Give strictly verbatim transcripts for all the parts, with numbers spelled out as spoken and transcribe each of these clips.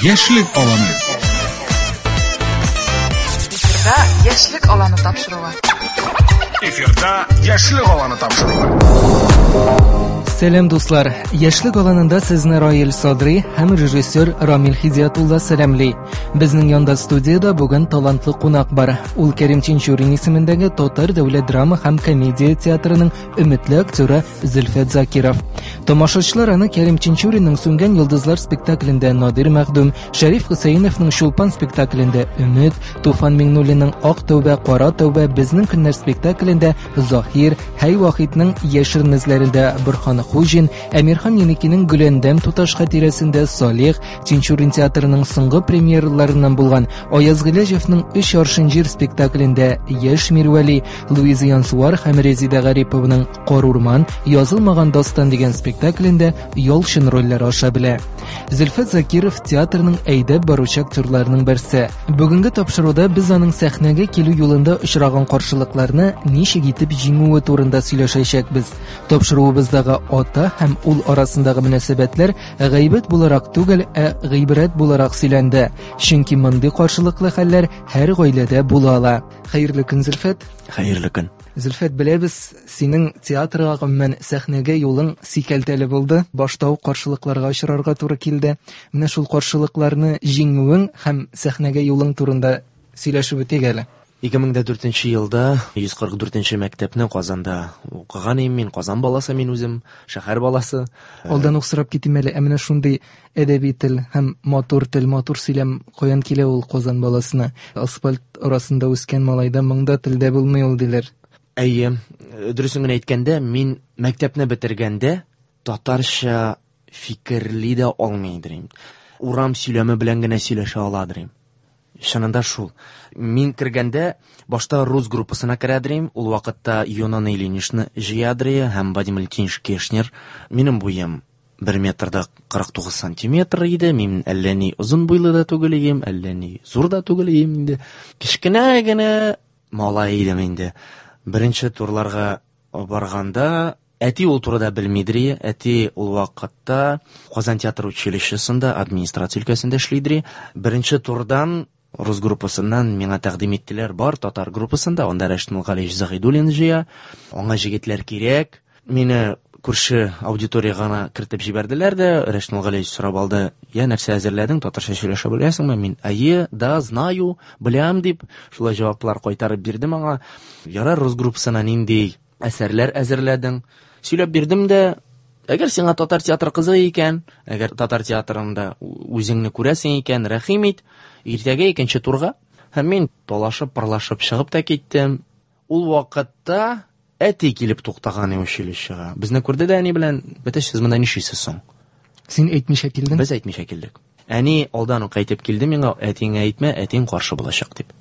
Яшьлек аланы. Эфирда Яшьлек аланы тапшыруы. Эфирда Яшьлек аланы тапшыруы. Сәлам, дуслар! Яшьлек аланында сезне Раил Садри һәм режиссер Рамил Хидиятулла сәламли. Безнең янда студияда бүген талантлы кунак бар. Ул Кәрим Тинчурин исемендәге Татар дәүләт драма һәм комедия театрының өметле актеры Зөлфәт Закиров. Тамашачылар аны Кәрим Тинчуринның Сүнгән йолдызлар спектаклендә Надир Мәхдүм, Шәриф Хөсәеновның Чулпан спектаклендә Өмет, Туфан Миңнуллинның Ак тәүбә, Кара тәүбә, Безнең көннәр спектаклендә Заһир, Хәй Вахитның Яшерен эзләрендә Борһан Хуҗин, Әмирхан Еникинең Гөләндәм туташ хатирәсендә Салих, Тинчурин театрының соңгы премьераларыннан булган Аяз Гыйләҗевның Өч аршын җир спектаклендә Яшь Мирвәли, Луиза Янсуар һәм Резеда Гарипованың Кар урман, Язылмаган дастан дигән спектаклендә Ялчын рольләре аша белә. Зөлфәт Закиров театрның әйдәп баручы актерларының берсе. Бүгенге тапшыруда без аның сәхнәгә килү юлында очраган каршылыкларны ничек итеп җиңүе турында сөйләшәчәкбез. Тапшыруыбыздагы ата һәм ул арасындагы мөнәсәбәтләр гайбәт буларак түгел, ә гыйбрәт буларак сөйләнде. Чөнки мондый каршылыклы хәлләр һәр гаиләдә була ала. Хәерле көн, Зөлфәт. Хәерле көн. Зөлфәт, беләбез, синең театрга, гомумән, сәхнәгә юлың сикәлтәле булды. Башта ук каршылыкларга очрарга туры килде. Менә шул каршылыкларны җиңүең һәм сәхнәгә юлың турында сөйләшеп үтик әле. Ике мең дә дүртенче елда йөз кырык дүртенче мәктәпне Казанда укыган идем мин. Казан баласы мин үзем, шәһәр баласы. Алдан ук сорап китим әле, ә менә шундый әдәби тел һәм матур тел, матур сөйләм каян килә ул Казан баласына? Асфальт арасында үскән малайда моңда телдә булмый ул, диләр. Әйе, дөресен генә әйткәндә, мин мәктәпне бетергәндә татарча фикерли дә алмый идем. Урам сөйләме белән генә сөйләшә ала идем. Чынында шул. Мин кергәндә башта рус группасына керәдерим, ул вакытта Юнона Ильиничны җыядыры һәм Вадим Валентинович Кешнер. Минем буем бер метр да кырык тугыз сантиметр иде. Мин әллә ни озын буйлы да түгел идем, әллә ни зур да түгел идем инде. Кечкенә генә малай идем инде. Беренче турларга барганда әти ул турыда белмидер. Әти ул вакытта Казан театр училищесында администрация өлкәсендә эшлидер. Беренче турдан рус группасыннан миңа тәкъдим иттеләр, бар татар группасында, анда Рәшит Мулгалиевич Заһидуллин җыя, аңа җегетләр кирәк. Мине күрше аудиториягә гына кертеп җибәрделәр дә, Рәшит Мулгалиевич сорап алды: "Я, нәрсә әзерләдең, татарча сөйләшә беләсеңме?" Мин: "Әйе, да, знаю, беләм", дип шулай җаваплар кайтарып бирдем аңа. Ярар, рус группасына нинди әсәрләр әзерләдең? Сөйләп бирдем дә, әгәр сиңа татар театры кызык икән, әгәр татар театрында үзеңне күрәсең икән, рәхим ит, иртәгә икенче турга. Һәм мин талашып, парлашып чыгып та киттем. Ул вакытта әти килеп туктаган иде училищега. Безне күрде дә әни белән: "Бәтәч, сез монда нишлисез соң?" Син әйтмичә килдең? Без әйтмичә килдек. Әни алдан ук әйтеп килде миңа: "Әтиңә әйтмә, әтиң каршы булачак", дип.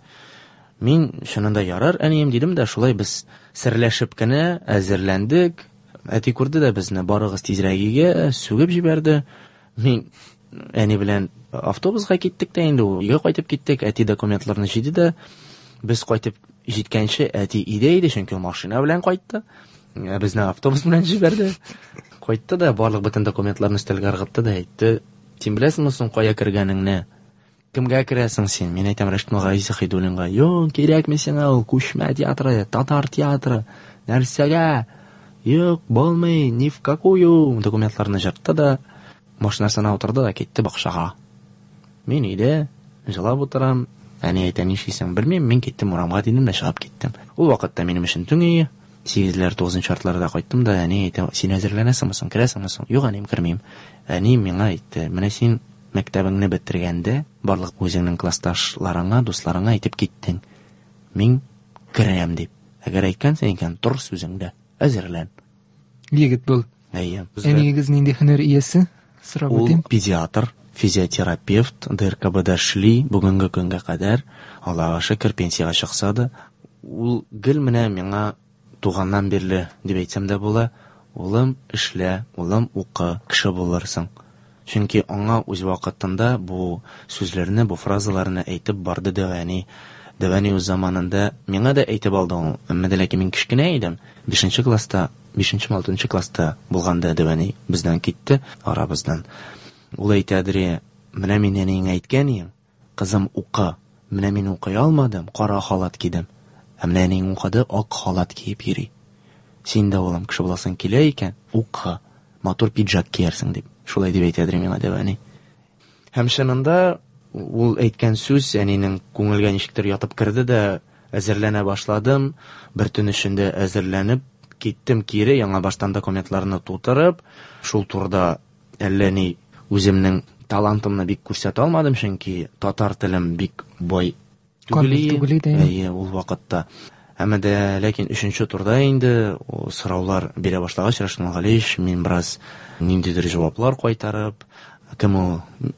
Мин чынында ярар, әнием, дидем дә, шулай без серләшеп кенә әзерләндек. Әти күрде дә безне, барыгыз тизрәк өйгә, сүгеп җибәрде. Мин әни белән автобусга киттек тә инде, өйгә кайтып киттек. Әти документларны җыйды да, без кайтып җиткәнче әти өйдә иде, чөнки ул машина белән кайтты. Ә безне автобус белән җибәрде. Кайтты да барлык бөтен документларны өстәлгә ыргытты да әйтте: "Син беләсеңме соң кая кергәнеңне? Кемгә керәсең син?" Мин әйтәм: Рәшит Мулгалиевич Заһидуллинга. "Юк, кирәкми сиңа ул күчмә театры, татар театры. Нәрсәгә? Юк, булмый, ни в какую." Документларны җыртты да, машинасына утырды да китте бакчага. Мин өйдә җылап утырам. Әни әйтә: "Нишлисең?" Белмим, мин киттем урамга, дидем дә чыгып киттем. Ул вакытта минем өчен төн ие. Сигезләр, тугызынчы яртыларда кайттым да, әни әйтә: "Син әзерләнәсеңме соң, керәсеңме соң?" Юк, әнием, кермим. Әни миңа әйтте: "Менә син мәктәбеңне бетергәндә барлык үзеңнең классташларыңа, дусларыңа әйтеп киттең. Мин керәм дип. Әгәр әйткәнсең икән, тор сүзеңдә, әзерлән." Егет бул. Әйе. Әниегез нинди һөнәр иясе? Сорап Ул үтим. педиатр, физиотерапевт, Д Р К Бда эшли бүгенге көнгә кадәр. Аллаһка шөкер, пенсиягә чыкса да, ул гел менә миңа туганнан бирле дип әйтсәм дә була: "Улым, эшлә, улым, укы, кеше булырсың." Чөнки аңа үз вакытында бу сүзләрне, бу фразаларны әйтеп барды дәү әни. Дәү әни үз заманында миңа да әйтеп алды ул. Әмма дә ләкин мин кечкенә идем. Бишенче класста, бишенче, алтынчы класста булганда дәү әни бездән китте, арабыздан. Ул әйтәдер, Менә мин әниеңә әйткән идем, кызым укы. Менә мин укый алмадым, кара халат кидем. Ә менә әниең укыды, ак халат киеп йөри. Син дә, улым, кеше буласың килә икән, укы. Матур пиджак киярсең дип. Шулай дип әйтәдер миңа дәү әни. Һәм чынында ул әйткән сүз әнинең күңелгә ничектер ятып керде дә, әзерләнә башладым. Бер төн эчендә әзерләнеп киттем кире, яңа баштан документларны тутырып, шул турыда әллә ни үземнең талантымны бик күрсәтә алмадым, чөнки татар телем бик бай түгел иде. Әйе, ул вакытта. Әмма дә ләкин өченче турда инде сораулар бирә башлагач, Рәшит Галиевич, мин бераз ниндидер җаваплар кайтарып, кем ул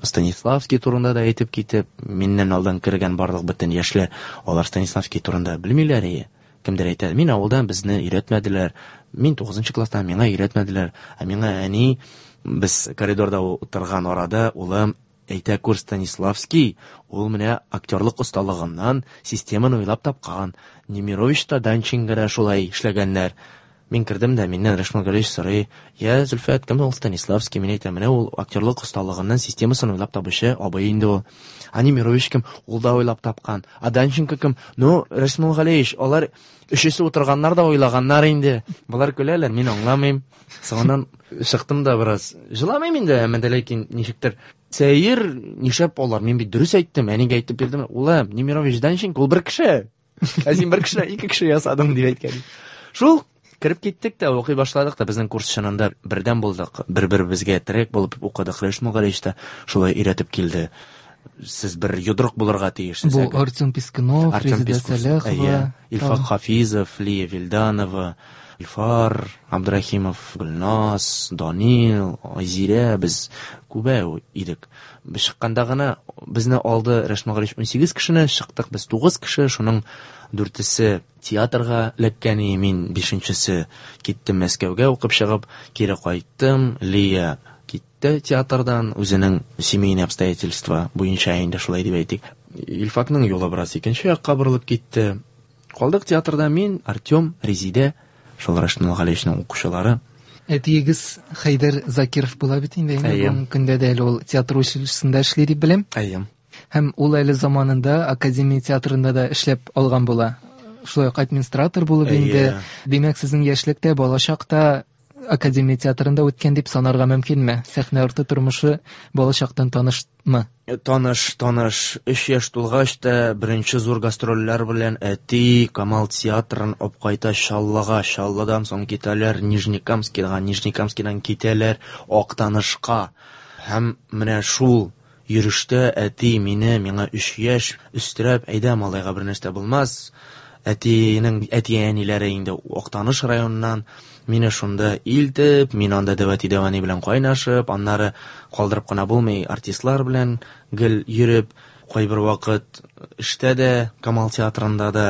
Станиславский турында да әйтеп китеп, миннән алдан кергән барлык бөтен яшьләр, алар Станиславский турында белмиләр иде. Кемдер әйтә, мин авылдан, безне өйрәтмәделәр. Мин тугызынчы класста, миңа өйрәтмәделәр. Ә миңа әни, без коридорда утырган арада, улым, әйтә күр, Станиславский, ул менә актерлык осталыгыннан системаны уйлап тапкан. Немирович та, Данченко да шулай эшләгәннәр. Мин кердем дә, миннән Рәшит Галиевич сорый, я, Зөлфәт, кем ул Станиславский? Мин әйтәм, менә ул актерлык осталыгыннан системасын уйлап табучы абый инде ул. А Немирович кем? Ул да уйлап тапкан. А Данченко кем? Ну, Рәшит Галиевич, алар өчесе утырганнар да уйлаганнар инде. Болар көләләр, мин аңламыйм. Соңыннан чыктым да бераз. Җыламыйм инде, әмма дә ләкин ничектер сәер, нишләп алар? Мин бит дөрес әйттем, әнигә әйтеп бирдем. Улым, Немирович, Данченко ул бер кеше. Ә син бер кеше, ике кеше ясадың дип әйткән. Шул кереп киттек тә, укый башладык та, безнең курс чынында бердәм булдык. Бер-беребезгә терәк булып укыдык. Рәшит Галиевич та шулай өйрәтеп килде. Сез бер йодрык булырга тиешсез. Бу Артем Пискунов, Резеда Сәләхова, Илфак Хафизов, Лия Вилданова, Илфар Абдрахимов, Гөлназ, Данил, Айзирә, без күбәү идек. Без чыкканда гына безне алды Рәшит Галиевич унсигез кешене, чыктык без тугыз кеше, шуның дүртесе театрга эләккән, мин бишенчесе киттем Мәскәүгә укып чыгып, кире кайттым. Лия китте театрдан, үзенең семейный обстоятельства буенча инде шулай дип әйтик. Илфакның юлы бераз икенче якка борылып китте. Калдык театрда мин, Артем, Резидә, шул Рәшит Галиевичның укучылары. Әтиегез Хәйдәр Закиров була бит инде, бүгенге көндә дә әле ул театр училищесында эшли дип беләм. Әйе. Һәм ул әле заманында Академия театрында да эшләп алган була. Шулай ук администратор булып инде. Димәк, сезнең яшьлектә, балачакта Академия театрында үткән дип санарга мөмкинме? Сәхнә арты тормышы балачактан танышмы? Таныш, таныш. Өч яшь тулгач та беренче зур гастрольләр белән әти Камал театрын алып кайта Чаллыга, Чаллыдан соң китәләр Нижнекамскига, Нижнекамскидан китәләр Актанышка. Һәм менә шул йөрештә әти мине, миңа өч яшь, өстерәп, әйдә, малайга бер нәрсә булмас. Әтинең әти-әниләре инде Актаныш районыннан мине шунда илтеп, мин анда дәү әти, дәү әни белән кайнашып, аннары калдырып кына булмый, артистлар белән гел йөреп, кайбер вакыт эштә дә, Камал театрында да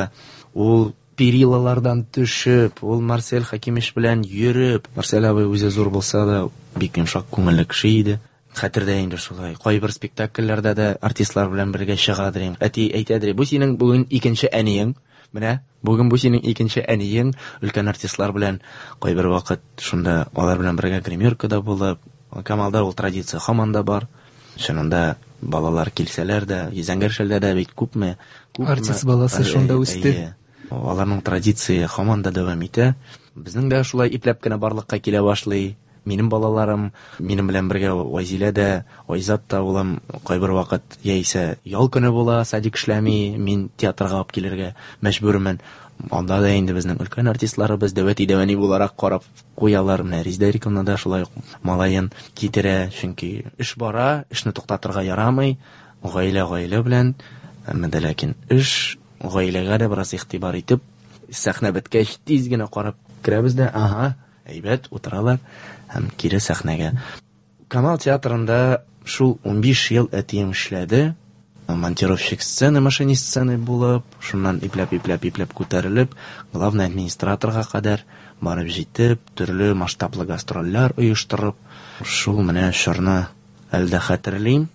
ул перилалардан төшеп, ул Марсель Хакимович белән йөреп, Марсель абый үзе зур булса да, бик йомшак күңелле кеше иде. Хәтердә инде шулай. Кайбер спектакльләрдә дә артистлар белән бергә чыгадыр. Әти әйтәдер, бу синең бүген икенче әниең. Менә бүген бу синең икенче әниең. Өлкән артистлар белән кайбер вакыт шунда алар белән бергә гримеркада булып, Камалда ул традиция һаман да бар. Чынында балалар килсәләр дә, Зәңгәр шәлдә дә бит күпме, күпме артист баласы шунда үсте. Аларның традиция һаман да дәвам итә. Безнең дә шулай ипләп кенә барлыкка килә башлый. Минем балаларым, минем белән бергә Вазилә дә, Айзат та улым кайбер вакыт яисә ял көне була, садик эшләми, мин театрга алып килергә мәҗбүрмен. Анда да инде безнең өлкән артистларыбыз дәү әти, дәү әни буларак карап куялар. Менә Резеда Ирековна да шулай ук малаен китерә, чөнки эш бара, эшне туктатырга ярамый. Гаилә гаилә белән, әмма дә ләкин эш гаиләгә дә бераз игътибар итеп, сәхнә беткәч тиз генә карап керәбез дә, ага, әйбәт утыралар һәм кире сәхнәгә. Камал театрында шул унбиш ел әтием эшләде. Монтировщик сцены, машинист сцены булып, шуннан ипләп-ипләп-ипләп күтәрелеп, главный администраторга кадәр барып җитеп, төрле масштаблы гастрольләр оештырып, шул менә чорны әле дә хәтерлим.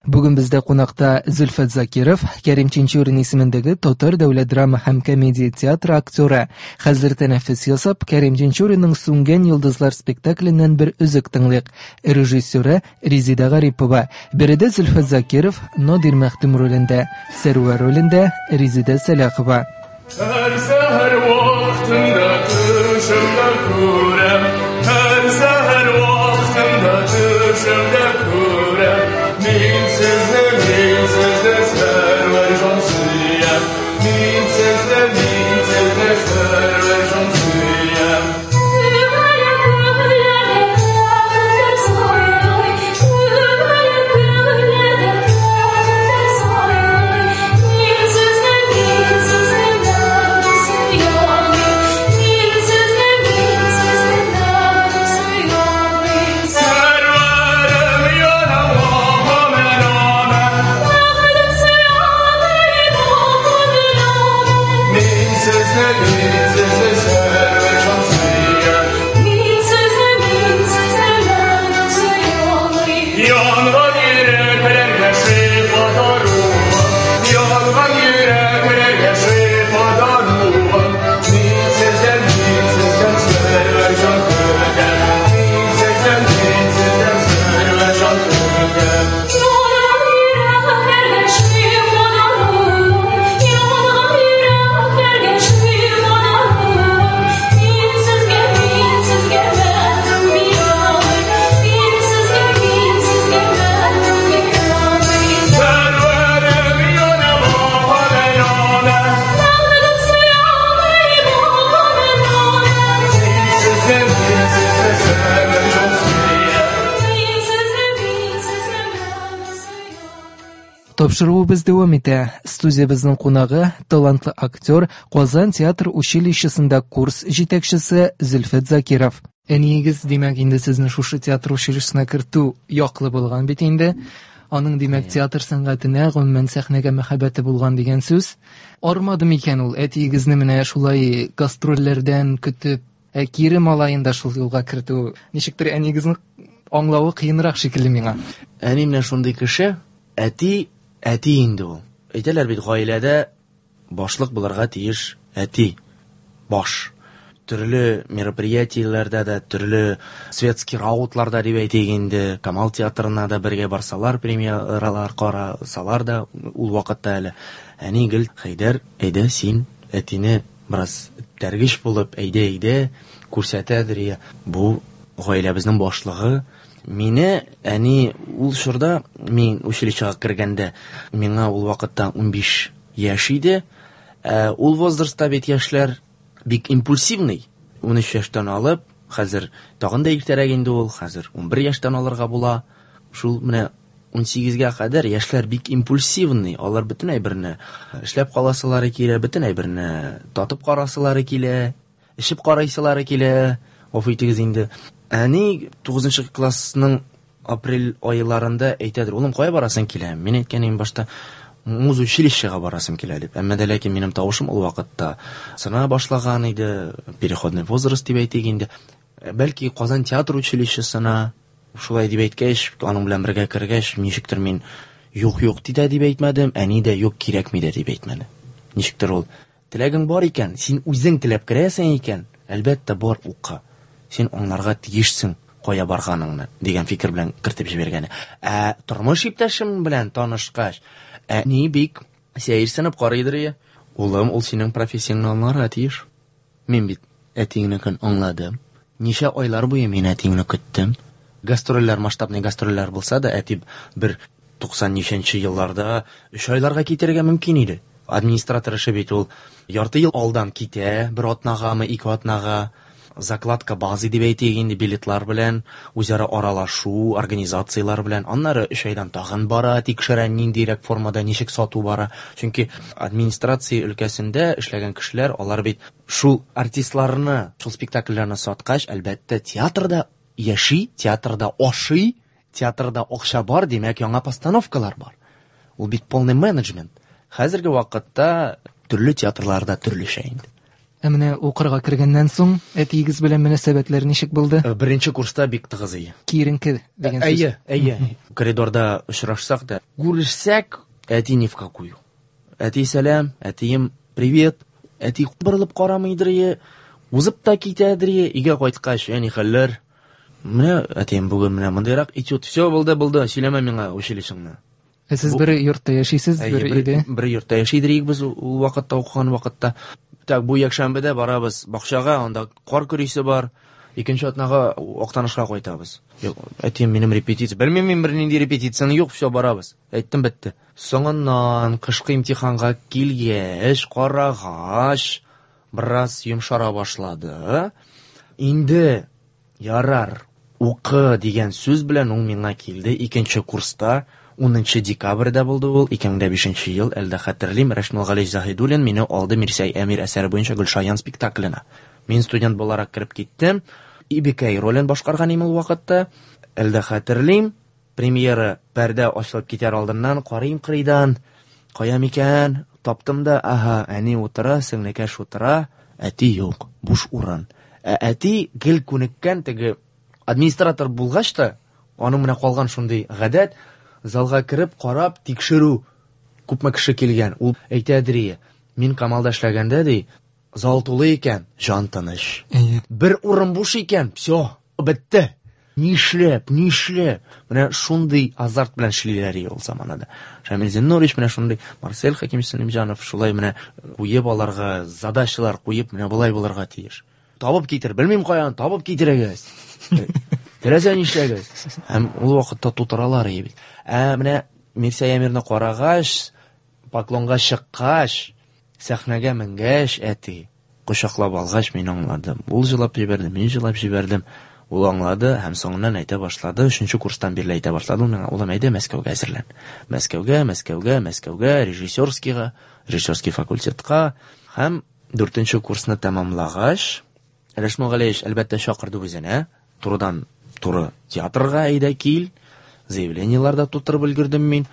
Бүген бездә кунакта Зөлфәт Закиров, Кәрим Тинчурин исемендәге Татар дәүләт драма һәм комедия театры актеры. Хәзер тәнәфес ясап, Кәрим Тинчуринның Сүнгән йолдызлар спектакленнән бер өзек тыңлыйк. Режиссеры Резеда Гарипова. Биредә Зөлфәт Закиров Надир Мәхтүм ролендә, Сәрвәр ролендә Резеда Сәлахова. Һәр сәхәр вакытында төшемдә күрәм, һәр сәхәр вакытында төшемдә күрәм. Мин сезне, мин сезне Сәрвәр җан сөям. Мин сезне, мин сезне Сәрвәр җан сөям. Тапшыруыбыз дәвам итә. Студиябезнең кунагы талантлы актер, Казан театр училищесында курс җитәкчесе Зөлфәт Закиров. Әниегез, димәк, инде сезне шушы театр училищесына кертү яклы булган бит инде. Аның, димәк, театр сәнгатенә, гомумән сәхнәгә мәхәббәте булган дигән сүз. Армады микән ул әтиегезне менә шулай гастрольләрдән көтеп, ә кире малаен да шул юлга кертү? Ничектер әниегезнең аңлавы кыенрак шикелле миңа. Әни менә шундый кеше, әти әти инде ул. Әйтәләр бит, гаиләдә башлык булырга тиеш әти. Баш. Төрле мероприятиеләрдә дә, төрле светский раутларда дип әйтик инде, Камал театрына да бергә барсалар, премьералар карасалар да, ул вакытта әле әни гел Хәйдәр, әйдә син әтине бераз тәргеш булып, әйдә, әйдә күрсәтәдер. Я. Бу гаиләбезнең башлыгы. Мине әни ул чорда, мин училищега кергәндә, миңа ул вакытта унбиш яшь иде. Ә, ул возрастта бит яшьләр бик импульсивный. Унөч яшьтән алып, хәзер тагын да иртәрәк инде ул, хәзер унбер яшьтән алырга була. Шул менә унсигезгә кадәр яшьләр бик импульсивный. Алар бөтен әйберне эшләп каласылары килә, бөтен әйберне татып карасылары килә, эчеп карыйсылары килә. Гафу итегез инде. Әни тугызынчы классның апрель айларында әйтәдер, улым, кая барасың килә? Мин әйткән идем башта, музучилищега барасым килә дип. Әмма дә ләкин минем тавышым ул вакытта сына башлаган иде, переходный возраст дип әйтик инде. Бәлки Казан театр училищесына шулай дип әйткәч, аның белән бергә кергәч, ничектер мин юк юк дидә дип әйтмәдем, әни дә юк кирәкми дә дип әйтмәде. Ничектер ул теләгең бар икән, син үзең теләп керәсең икән, әлбәттә бар укы. Син аңларга тиешсең кая барганыңны дигән фикер белән кертеп җибәргәне. Ә тормыш иптәшем белән танышкач, әни бик сәерсенеп карыйдыр я. Улым, ул синең профессияңне аңларга тиеш. Мин бит әтиеңнекен аңладым. Ничә айлар буе мин әтиеңне көттем. Гастрольләр, масштабный гастрольләр булса да, әти бер туксан ничәнче елларда өч айларга китәргә мөмкин иде. Администратор эше бит ул ярты ел алдан китә, бер атнагамы, ике атнага. Закладка базы дип әйтик инде, билетлар белән, үзара аралашу, организациялар белән. Аннары өч айдан тагын бара, тикшерә, ниндирәк формада, ничек сату бара. Чөнки администрация өлкәсендә эшләгән кешеләр, алар бит шул артистларны, шул спектакльләрне саткач, әлбәттә, театрда яши, театрда ашый, театрда акча бар, димәк, яңа постановкалар бар. Ул бит полный менеджмент. Хәзерге вакытта төрле театрларда төрлечә инде. Ә менә укырга кергәннән соң әтиегез белән мөнәсәбәтләр ничек булды? Беренче курста бик тыгыз иде. Киеренке дигән сүз. Әйе, әйе. Коридорда очрашсак та, күрешсәк, әти ни в какую. Әти сәлам, әтием привет. Әти борылып карамыйдыр ие, узып та китәдер ие. Өйгә кайткач, әни хәлләр. Менә әтием бүген менә мондыйрак этюд. Все булды, булды, сөйләмә миңа училищеңны. Ә сез бер йортта яшисез, бер өйдә? Бер йортта яшидер идек без ул вакытта, укыган вакытта. Так, бу якшәмбедә барабыз бакчага, анда кар көрисе бар. Икенче атнага Актанышка кайтабыз. Юк, әтием, минем репетиция. Белмим мин бернинди репетицияне, юк, все, барабыз. Әйттем, бетте. Соңыннан кышкы имтиханга килгәч, карагач, бераз йомшара башлады. Инде ярар, укы дигән сүз белән ул миңа килде. Икенче курста, унынчы декабрьдә булды ул, ике мең дә бишенче ел, әле дә хәтерлим, Рәшмил Галиевич Заһидуллин мине алды Мирсәй Әмир әсәре буенча Гөлшаян спектакленә. Мин студент буларак кереп киттем. Ибекәй ролен башкарган идем ул вакытта. Әле дә хәтерлим, премьера пәрдә ачылып китәр алдыннан карыйм кырыйдан, кая микән, таптым да, аһа, әни утыра, сеңлекәш утыра, әти юк, буш урын. Ә әти гел күнеккән, теге администратор булгач та, аның менә калган шундый гадәт, залга кереп, карап, тикшерү, күпме кеше килгән. Ул әйтәдер ие, мин Камалда эшләгәндә, ди, зал тулы икән, җан тыныч. Бер урын буш икән, все, бетте. Нишләп, нишләп? Менә шундый азарт белән эшлиләр ул заманада. Шамил Зиннурович менә шундый, Марсель Хәкимович Сәлимҗанов шулай менә куеп аларга задачалар куеп, менә болай булырга тиеш. Табып китер, белмим каян, табып китерегез. Теләсә нишләгез. Һәм ул вакытта тутыралар иде бит. Ә менә Мирсәй Әмирне карагач, поклонга чыккач, сәхнәгә менгәч, әти кочаклап алгач, мин аңладым. Ул җылап җибәрде, мин җылап җибәрдем. Ул аңлады һәм соңыннан әйтә башлады, өченче курстан бирле әйтә башлады ул миңа, улым, әйдә Мәскәүгә әзерлән. Мәскәүгә, Мәскәүгә, Мәскәүгә, режиссерскийга, режиссерский факультетка. Һәм дүртенче курсны тәмамлагач, Рәшмил Галиевич әлбәттә чакырды үзенә, турыдан туры театрга әйдә кил, заявлениелар да тутырып өлгердем мин.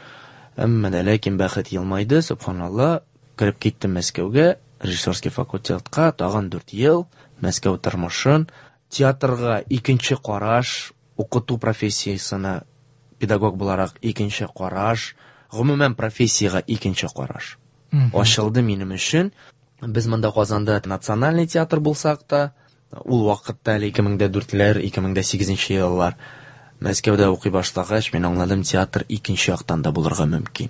Әмма дә ләкин бәхет елмайды, субханалла, кереп киттем Мәскәүгә, режиссерский факультетка, тагын дүрт ел Мәскәү тормышын, театрга икенче караш, укыту профессиясенә педагог буларак икенче караш, гомумән профессиягә икенче караш ачылды минем өчен. Без монда Казанда национальный театр булсак та, ул вакытта әле ике мең дә дүртләр, ике мең дә сигезенче еллар Мәскәүдә укый башлагач, мин аңладым, театр икенче яктан да булырга мөмкин.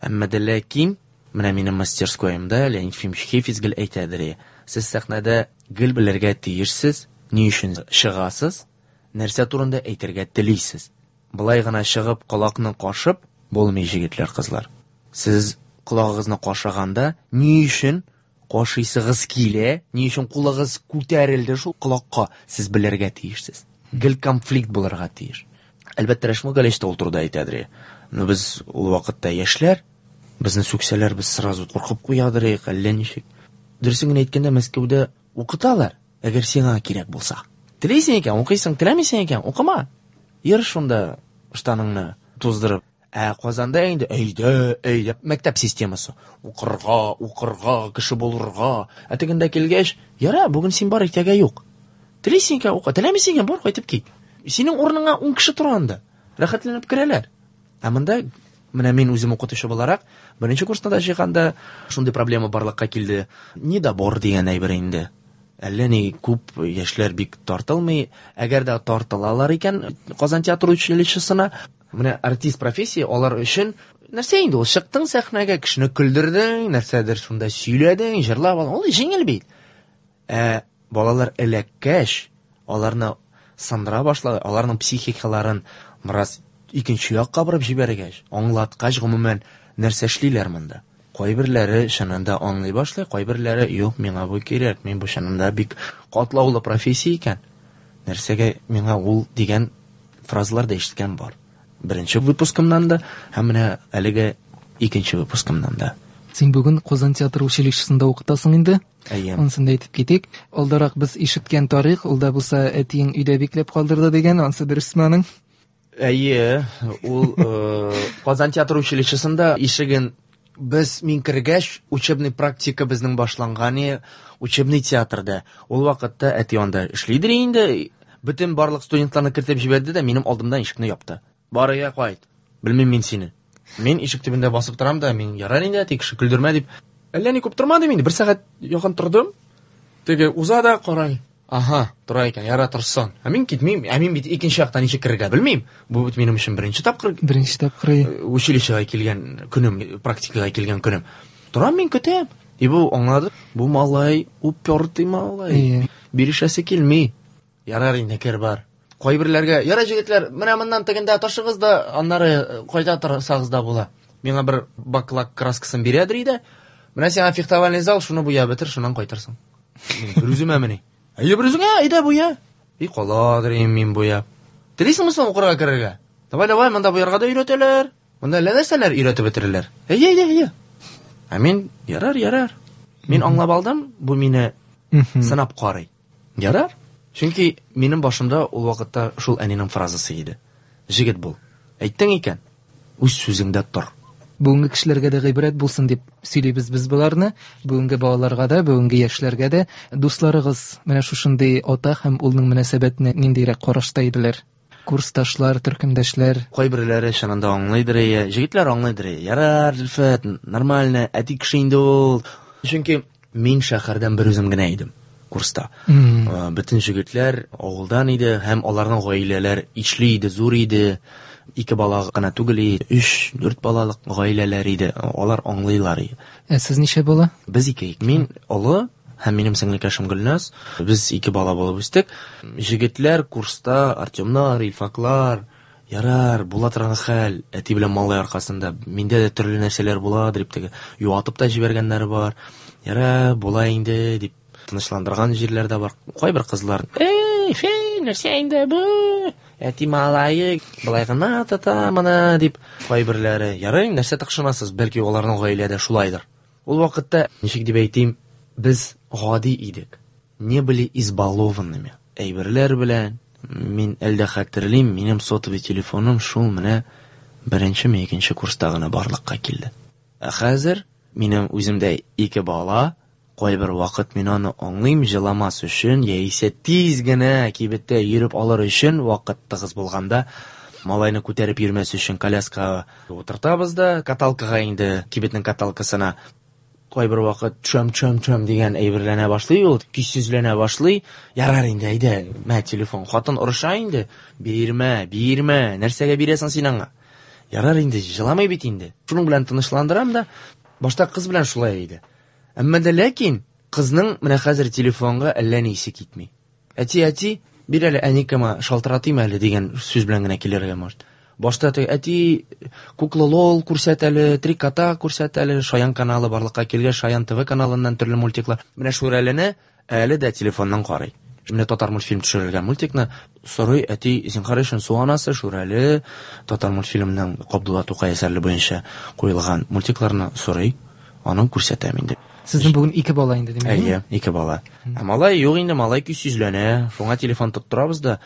Әмма дә ләкин менә минем мастерскоемда Леонид Ефимович Хейфиц гел әйтәдер, сез сәхнәдә гел белергә тиешсез, ни өчен чыгасыз, нәрсә турында әйтергә телисез. Былай гына чыгып, колакны кашып булмый, җегетләр, кызлар. Сез колагыгызны кашыганда ни өчен кашыйсыгыз килә, ни өчен кулыгыз күтәрелде шул колакка, сез белергә тиешсез. Гел конфликт булырга тиеш. Әлбәттә, Рәшмил Галиевич та ул турыда әйтәдер. Но без ул вакытта яшьләр, безне сүксәләр, без сразу куркып куядыр, әллә ничек. Дөресен генә әйткәндә, Мәскәүдә укыталар, әгәр сиңа кирәк булса. Телисең икән, укыйсың, теләмисең икән, укыма. Йөр шунда штаныңны туздырып. Ә Казанда инде әйдә, әйдә, мәктәп системасы. Укырга, укырга, кеше булырга. Ә тегендә килгәч, яра, бүген син бар, иртәгә юк. Телисең икән, укы, теләмисең икән, бар, кайтып кит. Синең урыныңа ун кеше тора анда. Рәхәтләнеп керәләр. Ә монда менә мин үзем укытучы буларак, беренче курста да җыйганда шундый проблема барлыкка килде. Недобор дигән әйбер инде. Әллә ни күп яшьләр бик тартылмый. Әгәр дә тартылалар икән Казан театр училищесына, менә артист профессия алар өчен нәрсә инде ул? Чыктың сәхнәгә, кешене көлдердең, нәрсәдер шунда сөйләдең, җырлап алдың. Ул җиңел бит. Ә балалар эләккәч, аларны сындыра башлады, аларның психикаларын бераз икенче якка борып җибәргәч, аңлаткач, гомумән нәрсә эшлиләр монда? Кайберләре чынында аңлый башлый, кайберләре юк, миңа бу кирәк, мин бу чынында бик катлаулы профессия икән. Нәрсәгә миңа ул дигән фразалар да ишеткән бар. Беренче выпускымнан да, һәм менә әлеге икенче выпускымнан да. Син бүген Казан театр училищесында укытасың инде. Әйе. Онсын да әйтеп китик. Алдарак без ишеткән тарих, ул да булса әтиең өйдә бикләп калдырды дигән, ансы дөресме аның? Әйе, ул, э, Казан театр училищесында ишеген Без мин кергәч, учебный практика безнең башланган, учебный театрда. Ул вакытта әти анда эшлидер инде. Бөтен барлык студентларны кертеп җибәрде дә минем алдымдан ишекне япты. Бар өйгә кайт. Белмим мин сине. Мин ишек төбендә басып торам да, мин ярар инде, әти кеше көлдермә дип. Әллә ни күп тормадым инде, бер сәгать якын тордым. Теге уза да карай. Аһа, тора икән, яра торсын. Ә мин китмим, ә мин бит икенче яктан ничек керергә белмим. Бу бит минем өчен беренче тапкыр. Беренче тапкыр. Училищега килгән көнем, практикага килгән көнем. Торам мин көтәм. И бу аңлады, бу малай упертый малай. Бирешәсе килми. Ярар инде, кер бар. Кайберләргә, яра җегетләр, менә моннан тегендә ташыгыз да, аннары кайда торсагыз да була. Миңа бер баклак краскасын бирәдер иде. Менә сиңа фехтовальный зал, шуны буяп бетер, шуннан кайтырсың. Бер үземә мени. Әйе, бер үзеңә, әйдә буя. И каладыр мин буяп. Телисеңме соң укырга керергә? Давай, давай, монда буярга да өйрәтәләр. Монда әллә нәрсәләр өйрәтеп бетерәләр. Әйе, әйдә, әйдә. Ә мин, ярар, ярар. Мин аңлап алдым, бу мине сынап карый. Ярар. Чөнки минем башымда ул вакытта шул әнинең фразасы иде. Җегет бул. Әйттең икән, үз сүзеңдә тор. Бүгенге кешеләргә дә гыйбрәт булсын дип сөйлибез без боларны. Бүгенге балаларга да, бүгенге яшьләргә дә. Дусларыгыз менә шушындый ата һәм улның мөнәсәбәтенә ниндирәк карашта иделәр? Курсташлар, төркемдәшләр. Кайберләре чынында аңлыйдыр, җегетләр аңлыйдыр. Ярар, Зөлфәт, нормально, әти кеше инде ул. Чөнки мин шәһәрдән бер үзем генә идем курста. Mm. Бөтен җегетләр авылдан иде һәм аларның гаиләләр ишле иде, зур иде. Ике бала гына түгел, өч, дүрт балалык гаиләләр иде. Алар аңлыйлар иде. Ә сез ничә бала? Без ике. Мин олы һәм минем сеңлекәшем Гөлназ. Без ике бала булып үстек. Җегетләр курста Артемнар, Илфаклар, ярар, була торган хәл, әти белән малай аркасында миндә дә төрле нәрсәләр була дип теге юатып та җибәргәннәре бар. Ярар, була инде дип тынычландырган җирләр дә бар. Кайбер кызлар, "Эй, фей, нәрсә инде бу? Әти малае былай гына тота моны" дип. Кайберләре, "Ярый, нәрсә тыкшынасыз, бәлки аларның гаиләдә шулайдыр." Ул вакытта, ничек дип әйтим, без гади идек. Не были избалованными. Әйберләр белән мин әлдә хәтерлим, минем сотовый телефоным шул менә беренчеме икенче курста гына барлыкка килде. Ә хәзер минем үземдә ике бала. Кайбер вакыт мин аны аңлыйм, җыламас өчен, яисә тиз генә кибеттә йөреп алыр өчен вакыт тыгыз булганда, малайны күтәреп йөрмәс өчен коляскага утыртабыз да, каталкага инде, кибетнең каталкасына. Кайбер вакыт чөм чөм чөм дигән әйберләнә башлый ул, көйсезләнә башлый. Ярар инде, әйдә, мә телефон. Хатын орыша инде. Бирмә, бирмә, нәрсәгә бирәсең син аңа? Ярар инде, җыламый бит инде. Шуның белән тынычландырам да, башта кыз белән шулай иде. Әмма дә ләкин кызның менә хәзер телефонга әллә ни исе китми. Әти, әти, бир әле әникема шалтыратыйм әле дигән сүз белән генә килергә может. Башта теге әти кукла лол күрсәт әле, три кота күрсәт әле, Шаян каналы барлыкка килгәч, Шаян ТВ каналыннан төрле мультиклар. Менә Шүрәлене әле дә телефоннан карый. Менә татар мультфильм төшерелгән мультикны сорый, әти, зинһар өчен су анасы, Шүрәле, татар мультфильмының Габдулла Тукай әсәрләре буенча куелган мультикларны сорый, аның күрсәтәм инде. Сезнең бүген ике бала инде, димәк? Әйе, ике бала. Ә малай юк инде, малай көйсезләнә. Шуңа телефон тоттырабыз да.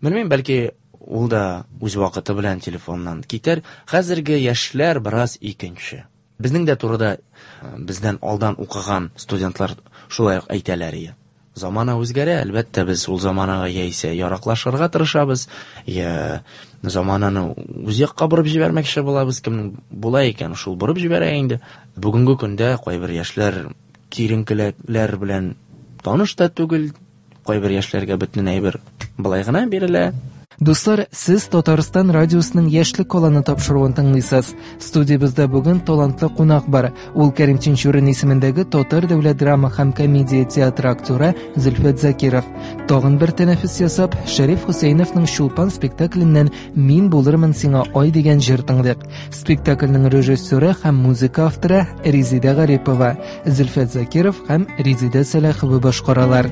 Белмим, бәлки ул да үз вакыты белән телефоннан китәр. Хәзерге яшьләр бераз икенче. Безнең дә турыда бездән алдан укыган студентлар шулай ук әйтәләр иде. Замана үзгәрә, әлбәттә, без ул заманага яисә яраклашырга тырышабыз, я замананы үз якка борып җибәрмәкче булабыз. Кемнең була икән, шул борып җибәрә инде. Бүгенге көндә кайбер яшьләр киеренкелекләр белән таныш та түгел, кайбер яшьләргә бөтен әйбер былай гына бирелә. Дуслар, сез Татарстан радиосының Яшьлек аланы тапшыруын тыңлыйсыз. Студиябездә бүген талантлы кунак бар. Ул Кәрим Тинчурин исемендәге Татар дәүләт драма һәм комедия театры актеры Зөлфәт Закиров. Тагын бер тәнәфес ясап, Шәриф Хөсәеновның Чулпан спектакленнән Мин булырмын сиңа ай дигән җыр тыңладык. Спектакльнең режиссеры һәм музыка авторы Резеда Гарипова, Зөлфәт Закиров һәм Резеда Сәлахова башкаралар.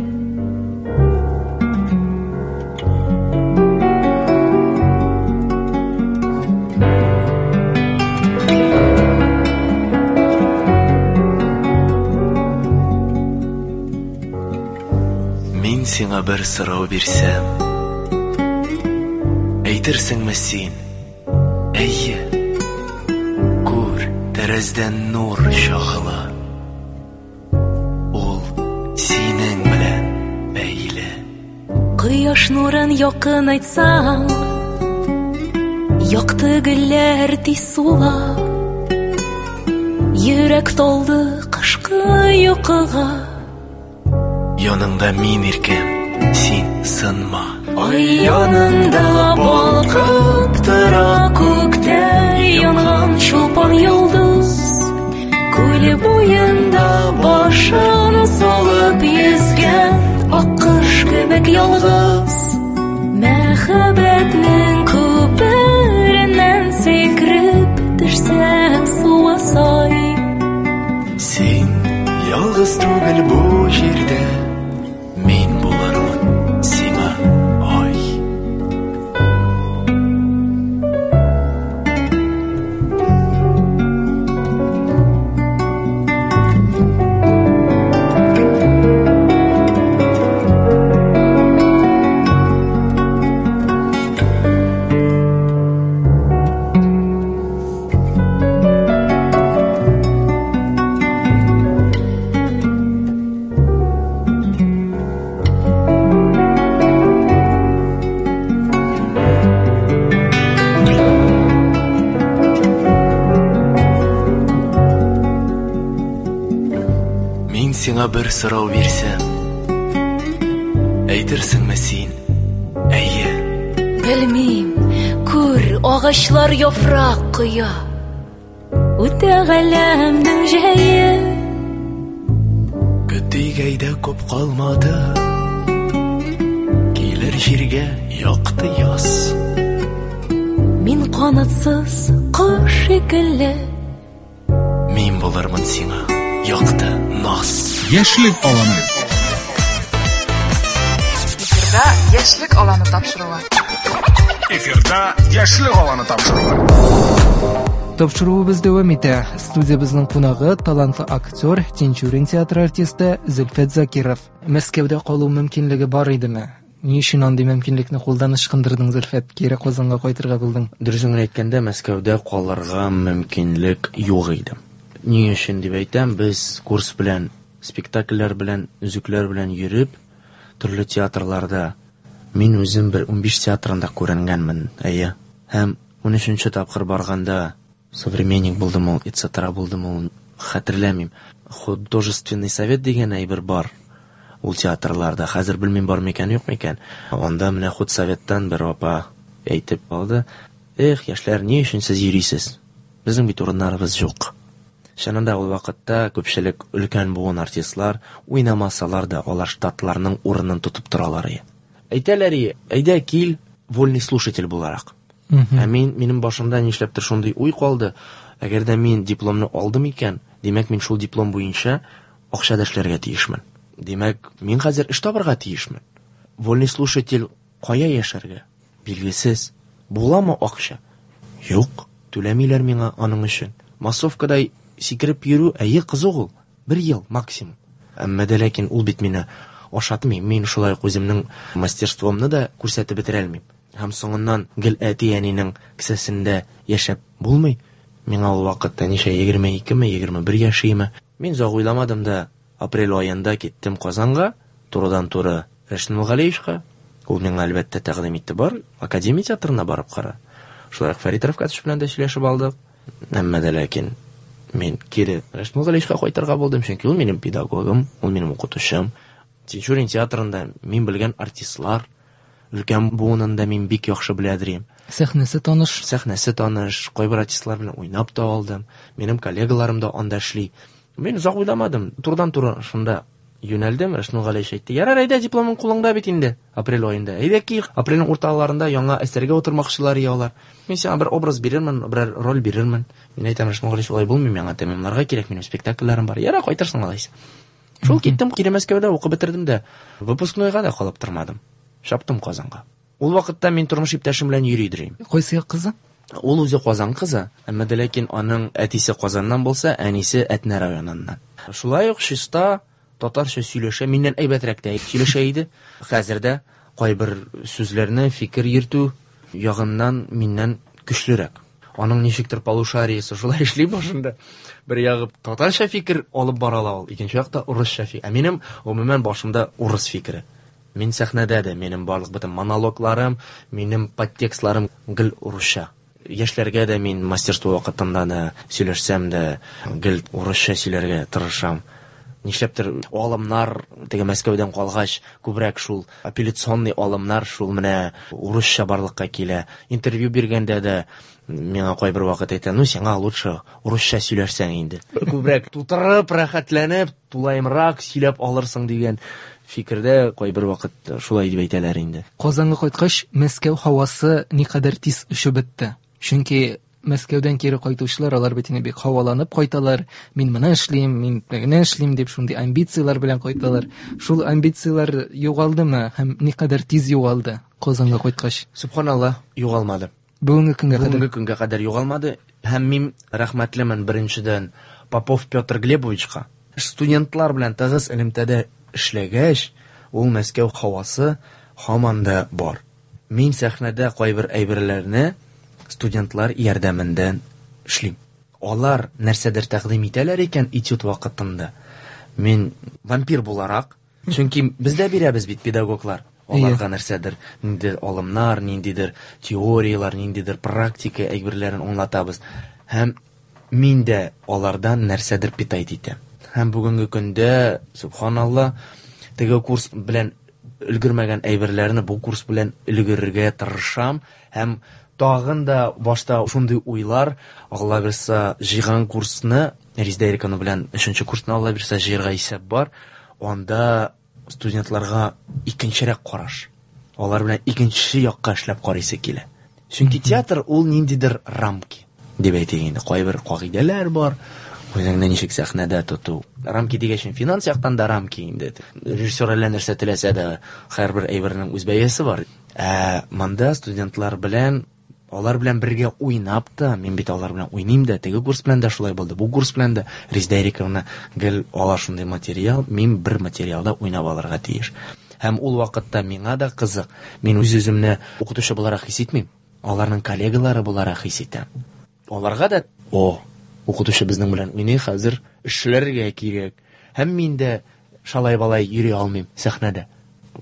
Сиңа бер сорау бирсәм, әйтерсеңме син? Әйе, күр, Тәрәздән нур чагыла. Ул синең белән бәйле. Кояш нурын якынайтсаң, якты гөлләр тиз сула. Йөрәк талды кышкы йокыга. Яныңда мин иркәм, син сынма. Ай янында балкып тора күктә янган чулпан йолдыз. Күл буенда башын салып йөзгән аккош кебек ялгыз. Мәхәббәтнең күпереннән сикереп төшсәң суга сай. Син ялгыз түгел бу җирдә, мин булырмын сиңа ай. Сиңа бер сорау бирсәм, әйтерсеңме син? Әйе. Белмим, күр, агачлар яфрак коя. Үтә галәмнең җәе. Көтик әйдә күп калмады, килер җиргә якты яз. Мин канатсыз кош шикелле. Мин булырмын сиңа якты наз. Яшьлек аланы. Эфирда Яшьлек аланы тапшыруы. Эфирда Яшьлек аланы тапшыруы. Тапшыруыбыз дәвам итә. Студиябезнең кунагы талантлы актер, Тинчурин театры артисты Зөлфәт Закиров. Мәскәүдә калу мөмкинлеге бар идеме? Ни өчен андый мөмкинлекне кулдан ычкындырдың, Зөлфәт? Кире Казанга кайтырга булдың. Дөресен генә әйткәндә, Мәскәүдә калырга мөмкинлек юк иде. Ни өчен дип әйтәм, без курс белән, спектакльләр белән, өзекләр белән йөреп, төрле театрларда мин үзем бер унбиш театрында күренгәнмен, әйе. Һәм унөченче тапкыр барганда Современник булдым ул, et cetera булдым ул, хәтерләмим. Художественный совет дигән әйбер бар ул театрларда. Хәзер белмим бар микән, юк микән. Анда менә худсоветтан бер апа әйтеп алды: "Эх, яшьләр, ни өчен сез йөрисез? Безнең бит урыннарыбыз юк." Чынында ул вакытта күпчелек өлкән буын артистлар уйнамасалар да, алар штатларның урынын тотып торалар иде. Әйтәләр иде: "Әйдә кил, вольный слушатель буларак." Ә мин, минем башымда нишләптер шундый уй калды: әгәр дә мин дипломны алдым икән, димәк мин шул диплом буенча акча да эшләргә тиешмен. Димәк, мин хәзер эш табарга тиешмен. Вольный слушатель кая яшәргә? Билгесез. Буламы акча? Юк, түләмиләр миңа аның өчен. Массовкада сикереп йөрү, әйе, кызык ул. Бер ел максимум. Әмма дә ләкин ул бит мине ашатмый. Мин шулай ук үземнең мастерствомны да күрсәтеп бетерә алмыйм. Һәм соңыннан гел әти-әнинең кесәсендә яшәп булмый. Миңа ул вакытта ничә, егерме икеме, егерме бер яшиме. Мин озак уйламадым да, апрель аенда киттем Казанга, турыдан-туры Рәшит Нургалиевичка. Ул миңа әлбәттә тәкъдим итте: бар, Академия театрына барып кара. Шулай ук Фәрит Рәфкатович белән дә сөйләшеп алдык. Әмма дә ләкин мин кире Рәшит Нургалиевичка кайтырга булдым, чөнки ул минем педагогым, ул минем укытучым. Тинчурин театрында мин белгән артистлар, өлкән буынында мин бик яхшы беләдер. Сәхнәсе таныш. Сәхнәсе таныш, кайбер артистлар белән уйнап та алдым. Минем коллегаларым да анда эшли. Мин озак уйламадым, турыдан-туры шунда юнәлдем. Рәшит Нургалиевич әйтте: "Ярар, әйдә, дипломың кулыңда бит инде, апрель аенда. Әйдә кил, апрельнең урталарында яңа әсәргә утырмакчылар алар. Мин сиңа бер образ бирермен, берәр роль бирермен." Мин әйтәм: "Рәшит Нургалиевич, улай булмый, миңа тәмамларга кирәк, минем спектакльләрем бар. Ярар, кайтырсың алайса." Шул киттем, кире Мәскәүдә укып бетердем дә, выпускнойга да калып тормадым. Чаптым Казанга. Ул вакытта мин тормыш иптәшем белән йөри идем. Кайсы як кызы? Ул үзе Казан кызы, әмма дә ләкин аның әтисе Казаннан булса, әнисе Әтнә районыннан. Шулай ук чиста татарча сөйләшә, миннән әйбәтрәк тә сөйләшә иде. Хәзер дә кайбер сүзләрне фикер йөртү ягыннан миннән көчлерәк. Аның ничектер полушариясе шулай эшли башында. Бер ягы татарча фикер алып бара ала ул, икенче якта урысча фикер. Ә минем гомумән башымда урыс фикере. Мин сәхнәдә дә минем барлык бөтен монологларым, минем подтекстларым гел урысча. Яшьләргә дә мин мастерство вакытында да сөйләшсәм дә гел урысча сөйләргә тырышам. Нишләптер алымнар теге Мәскәүдән калгач күбрәк шул апелляционный алымнар шул менә урысча барлыкка килә. Интервью биргәндә дә миңа кайбер вакыт әйтә, ну сиңа лучше урысча сөйләрсәң инде. Күбрәк тутырып, рәхәтләнеп, тулаемрак сөйләп алырсың дигән фикердә кайбер вакыт шулай дип әйтәләр инде. Казанга кайткач, Мәскәү һавасы никадәр тиз очып бетте. Чөнки Мәскәүдән кире кайтучылар, алар бит инде бик һаваланып кайталар. Мин моны эшлим, мин тегене эшлим дип шундый амбицияләр белән кайталар. Шул амбицияләр югалдымы һәм никадәр тиз югалды Казанга кайткач? Субханалла, югалмады. Бүгенге көнгә кадәр. Бүгенге көнгә кадәр югалмады. Һәм мин рәхмәтлемен беренчедән Попов Петр Глебовичка. Студентлар белән тыгыз элемтәдә эшләгәч, ул Мәскәү һавасы һаман да бар. Мин сәхнәдә кайбер әйберләрне студентлар ярдәмендә эшлим. Алар нәрсәдер тәкъдим итәләр икән этюд вакытында. Мин вампир буларак, чөнки без дә бирәбез бит педагоглар. Аларга нәрсәдер, ниндидер алымнар, ниндидер теорияләр, ниндидер практика әйберләрен аңлатабыз. Һәм мин дә алардан нәрсәдер питать итәм. Һәм бүгенге көндә, субханалла, теге курс белән өлгермәгән әйберләрне бу курс белән өлгерергә тырышам. Һәм тагын да башта шундый уйлар, Алла бирса, җыйган курсны, Резеда Ирековна белән өченче курсны Алла бирса җыярга исәп бар. Анда студентларга икенчерәк караш. Алар белән икенче якка эшләп карыйсы килә. Чөнки театр ул ниндидер рамки дип әйтик инде. Кайбер кагыйдәләр бар. Үзеңне ничек сәхнәдә тоту. Рамки дигәч, финанс яктан да рамки инде. Режиссер әллә нәрсә теләсә дә, һәрбер әйбернең үз бәясе бар. Ә монда студентлар белән, алар белән бергә уйнап та, мин бит алар белән уйныйм да, теге курс белән дә шулай булды, бу курс белән дә Резеда Ирековна гел ала шундый материал, мин бер материалда уйнап алырга тиеш. Һәм ул вакытта миңа да кызык. Мин үз-үземне укытучы буларак хис итмим, аларның коллегалары буларак хис итәм. Аларга да, о, укытучы безнең белән уйный, хәзер эшләргә кирәк. Һәм мин дә шалай-балай йөри алмыйм сәхнәдә.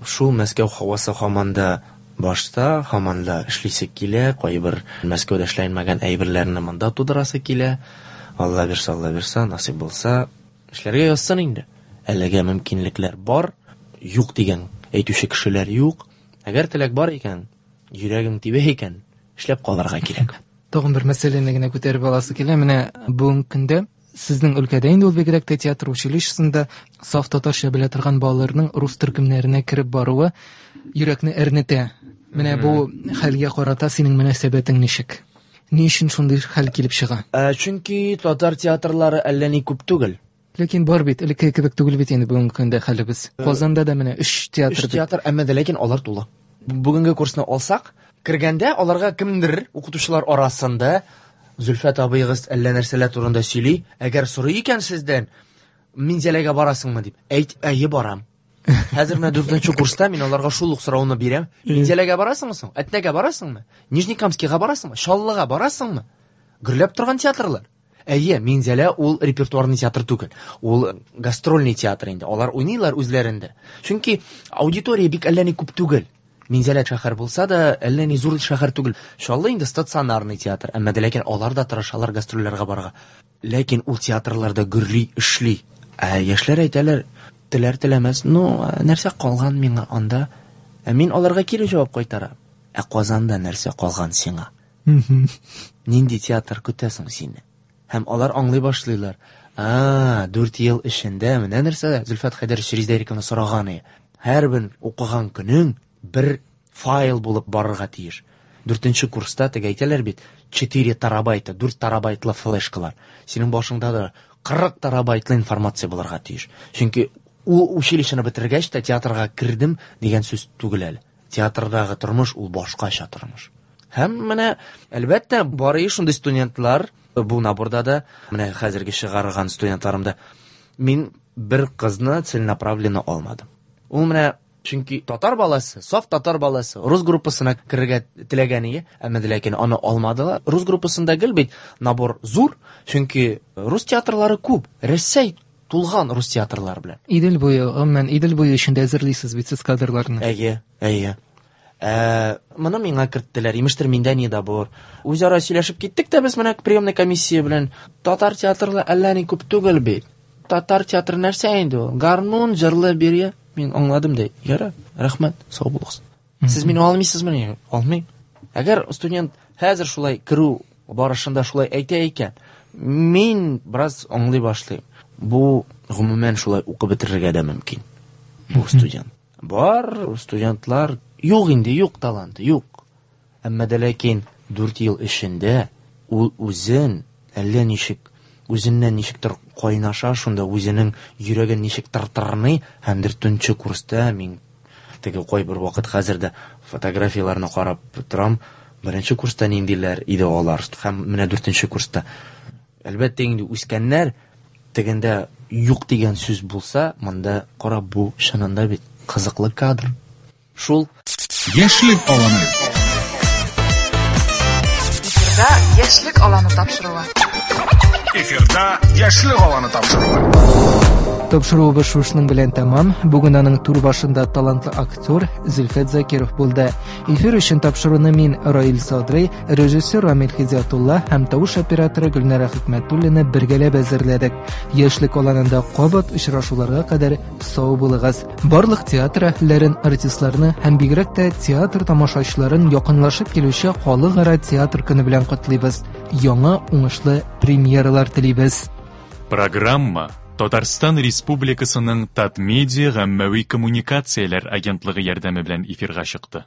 Шул Мәскәү һавасы һаман да башта, һаман да эшлисе килә, кайбер Мәскәүдә эшләнмәгән әйберләрне монда тудырасы килә. Алла бирсә, Алла бирсә, насыйп булса, эшләргә язсын инде. Әлегә мөмкинлекләр бар, юк дигән әйтүче кешеләр юк. Әгәр теләк бар икән, йөрәгең тибә икән, эшләп калырга кирәк. Тагын бер мәсьәләне генә күтәреп аласы килә. Менә бүгенге көндә сезнең өлкәдә инде ул бигрәк тә театр училищесында саф татарча белә торган балаларның рус төркемнәренә кереп баруы йөрәкне әрнетә. Менә бу хәлгә карата синең мөнәсәбәтең ничек? Ни өчен шундый хәл килеп чыга? Ә, чөнки татар театрлары әллә ни күп түгел. Ләкин бар бит, элекке кебек түгел бит инде бүгенге көндә хәлебез. Казанда да менә өч театр. Өч театр, әмма дә ләкин алар тулы. Бүгенге курсны алсак, кергәндә аларга кемдер укытучылар арасында Зөлфәт абыегыз әллә нәрсәләр турында сөйли. Әгәр сорый икән сездән, Минзәләгә барасыңмы дип, әйт, әйе барам. Хәзер менә дүртенче курста мин аларга шул ук сорауны бирәм. Минзәләгә барасыңмы соң? Әтнәгә барасыңмы? Нижнекамскийга барасыңмы? Чаллыга барасыңмы? Гөрләп торган театрлар. Әйе, Минзәлә ул репертуарный театр түгел. Ул гастрольный театр инде. Алар уйныйлар үзләрендә. Чөнки аудитория бик әллә ни күп түгел. Минзәлә шәһәр булса да, әллә ни зур шәһәр түгел. Чаллы инде стационарный театр. Әмма дә ләкин алар да тырышалар гастрольләргә барырга. Ләкин ул театрларда гөрли эшли. Ә яшьләр әйтәләр, теләр теләмәс, ну, нәрсә калган миңа анда? Ә мин аларга кире җавап кайтарам. Ә Казанда нәрсә калган сиңа? Нинди театр көтәсең сине? Һәм алар аңлый башлыйлар. А, дүрт ел эчендә менә нәрсә Зөлфәт Хәйдәрович Резеда Ирековна сораган иде. Һәрбер укыган көнең бер файл булып барырга тиеш. Дүртенче курста теге әйтәләр бит, четыре терабайта, дүрт терабайтлы флешкалар. Синең башыңда да кырык терабайтлы информация булырга тиеш. Чөнки ул училищены бетергәч тә театрга кердем дигән сүз түгел әле. Театрдагы тормыш ул башкача тормыш. Һәм менә әлбәттә бар шундый студентлар бу наборда да, менә хәзерге чыгарган студентларымда мин бер кызны целенаправленно алмадым. Ул менә Чөнки татар баласы, саф татар баласы рус группасына керергә теләгән иде, әмма дә ләкин аны алмадылар. Рус группасында гел бит набор зур, чөнки рус театрлары күп. Рәсәй тулган рус театрлары белән. Идел буе, гомумән, Идел буе өчен дә әзерлисез бит сез кадрларны. Әйе, әйе. Ә, моны миңа керттеләр, имештер миндә недобор. Үзара сөйләшеп киттек тә без менә приемный комиссия белән. Татар театрлары әллә ни күп түгел бит. Татар театры нәрсә инде ул? Гармун, җырлы бирә. Мин аңладым да. Ярар, рәхмәт, сау булыгыз. Сез мине алмыйсызмы? Алмыйм. Әгәр студент хәзер шулай керү барышында шулай әйтә икән, мин бераз аңлый башлыйм. Бу гомумән шулай укып бетерергә дә мөмкин. Бу студент. Бар студентлар юк инде, юк таланты, юк. Әмма дә ләкин дүрт ел эчендә ул үзен әллә ничек, үзеннән ничектер кайнаша, шунда үзенең йөрәген ничектер тырный, һәм дүртенче курста мин теге кайбер вакыт хәзер дә фотографияләрне карап торам. Беренче курста ниндиләр иде алар, һәм менә дүртенче курста. Әлбәттә инде үскәннәр, тегендә юк дигән сүз булса, монда кара, бу чынында бит кызыклы кадр. Шул. Яшьлек аланы. Эфирда Яшьлек аланы тапшыруы. Эфирда Яшьлек аланы тапшыруы. Тапшыруыбыз шушының белән тәмам. Бүген аның түр башында талантлы актер Зөлфәт Закиров булды. Эфир өчен тапшыруны мин, Раил Садрый, режиссер Рамил Хидиятулла һәм тавыш операторы Гөлнара Хикмәтуллина бергәләп әзерләдек. Яшьлек аланында кабат очрашуларга кадәр сау булыгыз. Барлык театр әһелләрен, артистларны һәм бигрәк тә театр тамашачыларын якынлашып килүче Халыкара театр көне белән котлыйбыз. Яңа уңышлы премьералар телибез. Программа Татарстан Республикасының Татмедиа гаммәви коммуникацияләр агентлыгы ярдәме белән эфирга чыкты.